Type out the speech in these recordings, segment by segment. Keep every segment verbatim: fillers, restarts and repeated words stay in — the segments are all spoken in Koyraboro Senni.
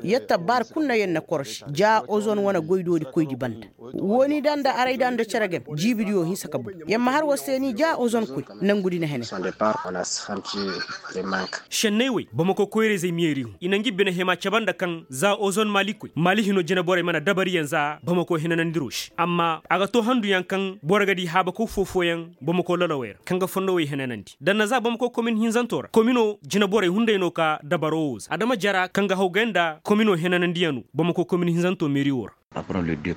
Yetta baari kul na yer na koroši ja ozon wane goydoodi koydi banda. Wooni da nda aray da nda cere game jiibidiyo hinsa ka boy. Yer ma har war se ni ja ozon koy nangudi na hene. Šenney wey bamako koyra-izey meeri hun i na ngi bine hima cabe nda kaŋ za ozon maalikoy maali hino jineborey mana dabariyaŋ za bamako henanandiro se amma a ga to handuyaŋ kaŋ boro ga di haabakaw foo-fooyaŋ bamako lolowey ra kaŋ ga fondowey henanandi da na za bamako komin hinzanto ra komino jineborey hunday no ka dabaro wo za adama jara kaŋ ga hawgay nda komino henanandiyaŋo bamako komin hinzanto meeri wo ra.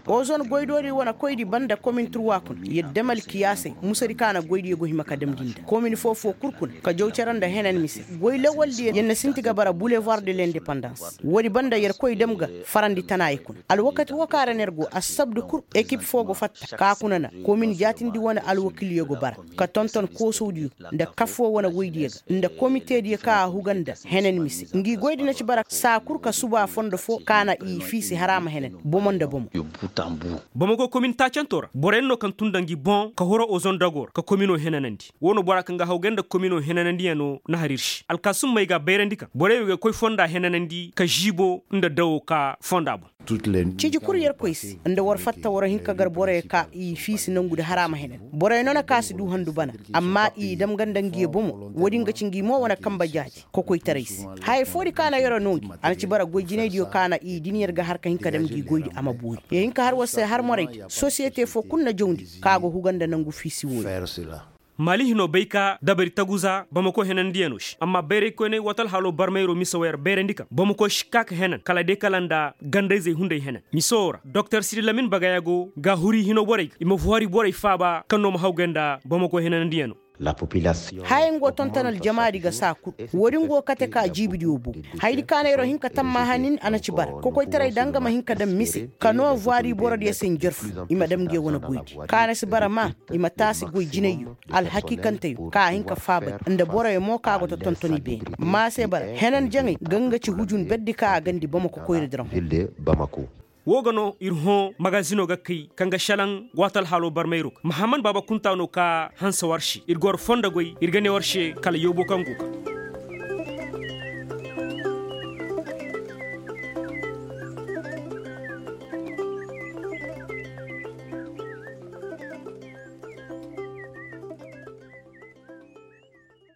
Ozon goydoodi wane koydi banda komin turwa kuna yer dam alkiyaasey musadi ka na goydiyo go hima ka damndi nda komin foo-foo kul kuna ka jaw cere nda henan mise. Goy lawaldiyo yer na sinti ga bara bulevoir de lindepandans. Woodi banda yer koy dam ga farandi tanaayey kuna alwakati woo kaŋ ra no yer go assabdu kul ekip foo go fatta ka kuna na komin jaatindi wane alwakilyo go bara ka tonton koosowdiyo nda kafoo wane woydiyo ga nda komitediyo kaŋ a huga nda henan mise ngi goydi na ci bara saa kul ka suba fondo foo ka na i fiisi haraama henan bomo nda bomo. Bamako komin taacanto ra boroyaŋ no kaŋ tun nda ngi boŋ ka horo ozon dago ra ka komino henanandi woo no bora kaŋ ga hawgay nda komino henanandiyaŋo na har ir se alkaasummey ga a bayrandi kaŋ boroyaŋ wey ga koy fonda henanandi ka žiibo nda dawo ka fonda boŋ. Ciji kul yerkoy se nda war fatta war hin ka gar boroyaŋ ka i fiisi nangudi haraama henan boroyaŋ no na ka si du handu bana amma i dam ga nda ngiyo bomo woodin ga ci ngi mo wane kanbe jaaji kokoytaray se. Haya foodi ka na yeroo noo ngi a na ci bara goy jinaydiyo ka na i din yer ga har ka hin ka dam ngi goydi a ma boori yer hin ka har war se har moraydi sosiyete foo kul na jawndi ka go huga nda nangu fiisi wooyo. Maali hinoo bay ka dabari taguza bamako henandiyanoo se amma bayraykoyney waati alhaloo barmayroo mise woo yer bayrandi kaŋ bamako si kaa ka henan kala day kala nda gandayzey hunday henan mise woo ra doktor sidi lamin bagayagoo ga huri hino borey ga i ma fuhari borey faaba kaŋ no ma hawgay nda bamako henandiyanoo. Haya ngo tonton aljamaadi ga saa kul. Woodin go kate ka jiibidiyo bow. Hayadi ka na yeroo hin ka tammaaha nin a na ci bara kokoytaray da nga ma hin ka daŋ mise ka noo vuwaari borodiyo se njarfu i ma daŋ nge wane goydi ka na si bara maa i ma taasi goy jinayyo. Alhakiikanteyoo ka a hin ka faabay nda boroyo mo ka go ta tonton i beene maa se bara henan jaŋay ga nga ci hujun berdi ka a gandi bamako koyradi ra hõ. Woo ga no ir hõ magazinoo ga kay kaŋ ga šelaŋ waati alhaaloo barmayroo ga mahammad baaba kuntaa no ka hanse war se ir ga war fondo goy ir ga ne war se kala yoobo kaŋ go ga.